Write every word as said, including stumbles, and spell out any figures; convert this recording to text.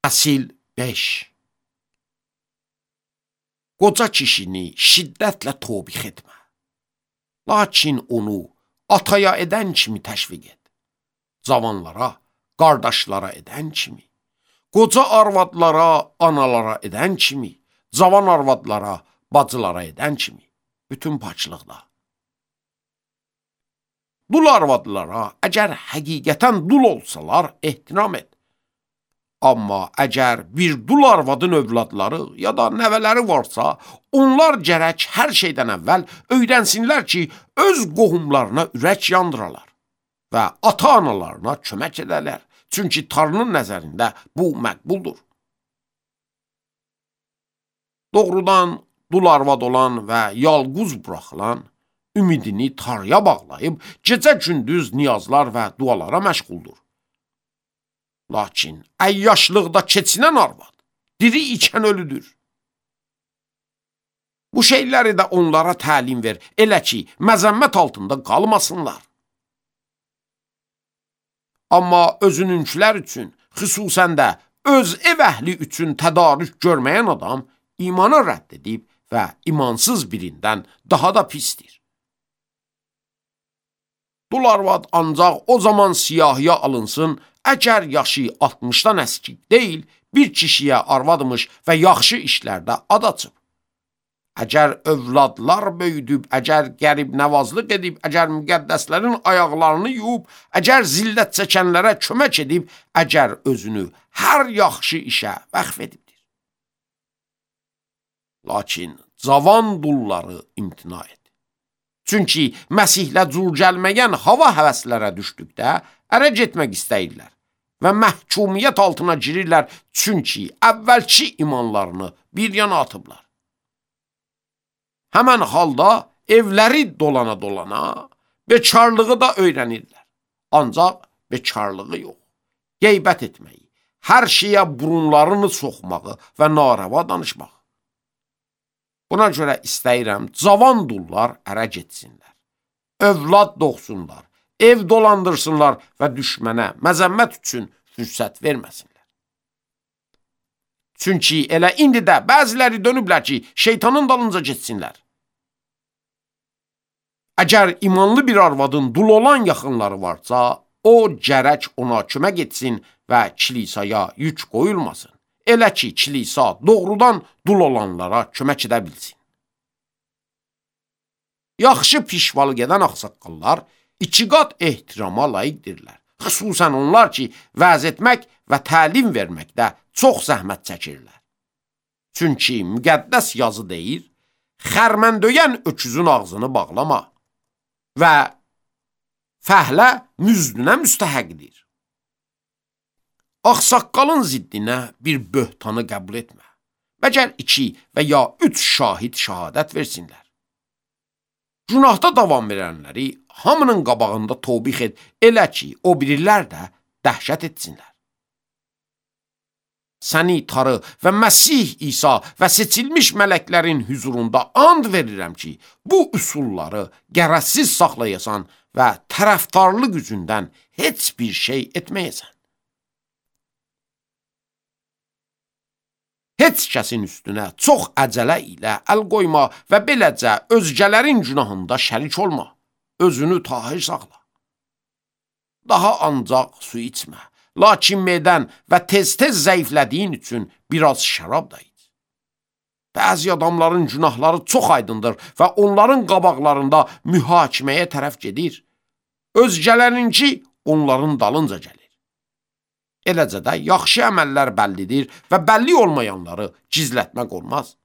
Fəsil beş. Qoca kişini şiddətlə tobix etmə. Lakin onu ataya edən kimi təşviq et. Cavanlara, qardaşlara edən kimi, qoca arvadlara, analara edən kimi, cavan arvadlara, bacılara edən kimi, bütün paçlıqda. Dul arvadlara əgər həqiqətən dul olsalar, ehtiram et. Amma əgər bir dul arvadın övladları ya da nəvələri varsa, onlar gərək hər şeydən əvvəl öyrənsinlər ki, öz qohumlarına ürək yandıralar və ata-analarına kömək edərlər. Çünki Tanrının nəzərində bu məqbuldur. Doğrudan dul arvad olan və yalquz buraxılan, ümidini Tanrıya bağlayıb, gecə-gündüz niyazlar və dualara məşğuldur. Lakin əyyaşlıqda keçinən arvad, diri ikən ölüdür. Bu şeyləri də onlara təlim ver, elə ki, məzəmmət altında qalmasınlar. Amma özününkülər üçün, xüsusən də öz ev əhli üçün tədarük görməyən adam imanı rədd edib və imansız birindən daha da pisdir. Dul arvad ancaq o zaman siyahıya alınsın, əgər yaşı altmışdan əskik deyil, bir kişiyə arvadmış və yaxşı işlərdə ad açıb. Əgər övladlar böyüdüb, əgər qərib nəvazlıq edib, əgər müqəddəslərin ayaqlarını yuyub, əgər zillət çəkənlərə kömək edib, əgər özünü hər yaxşı işə vəqf edibdir. Lakin cavan dulları imtina et. Çünki Məsihlə cür gəlməyən hava həvəslərə düşdükdə ərə getmək istəyirlər və məhkumiyyət altına girirlər, çünki əvvəlki imanlarını bir yana atıblar. Həmən halda evləri dolana-dolana bekarlığı da öyrənirlər. Ancaq bekarlığı yox, qeybət etməyi, hər şeyə burunlarını soxmağı və narava danışmağı. Buna görə istəyirəm, cavan dullar ərə getsinlər, övlad doğsunlar, ev dolandırsınlar və düşmənə məzəmmət üçün fürsət verməsinlər. Çünki elə indi də bəziləri dönüblər ki, şeytanın dalınca getsinlər. Əgər imanlı bir arvadın dul olan yaxınları varsa, o gərək ona kömək etsin və kilisaya yük qoyulmasın. Elə ki, kilisa doğrudan dul olanlara kömək edə bilsin. Yaxşı pişvalıq edən ağsaqqallar iki qat ehtirama layiqdirlər. Xüsusən onlar ki, vəz etmək və təlim verməkdə çox zəhmət çəkirlər. Çünki müqəddəs yazı deyir, xərməndöyən öküzün ağzını bağlama və fəhlə müzdünə müstəhəqdir. Ağsaqqalın ziddinə bir böhtanı qəbul etmə. Məgər iki və ya üç şahid şəhadət versinlər. Günahda davam verənləri hamının qabağında tobix et, elə ki, o birilər də dəhşət etsinlər. Səni Tanrı və Məsih İsa və seçilmiş mələklərin hüzurunda and verirəm ki, bu üsulları qərəzsiz saxlayasan və tərəfdarlıq üzündən heç bir şey etməyəsən. Heç kəsin üstünə çox əcələ ilə əl qoyma və beləcə özgələrin günahında şərik olma. Özünü tahir saxla. Daha ancaq su içmə. Lakin medən və tez-tez zəiflədiyin üçün biraz şərab da iç. Bəzi adamların günahları çox aydındır və onların qabaqlarında mühakiməyə tərəf gedir. Özgələrinki onların dalınca gəlir. Eləcə də yaxşı əməllər bəllidir və bəlli olmayanları gizlətmək olmaz.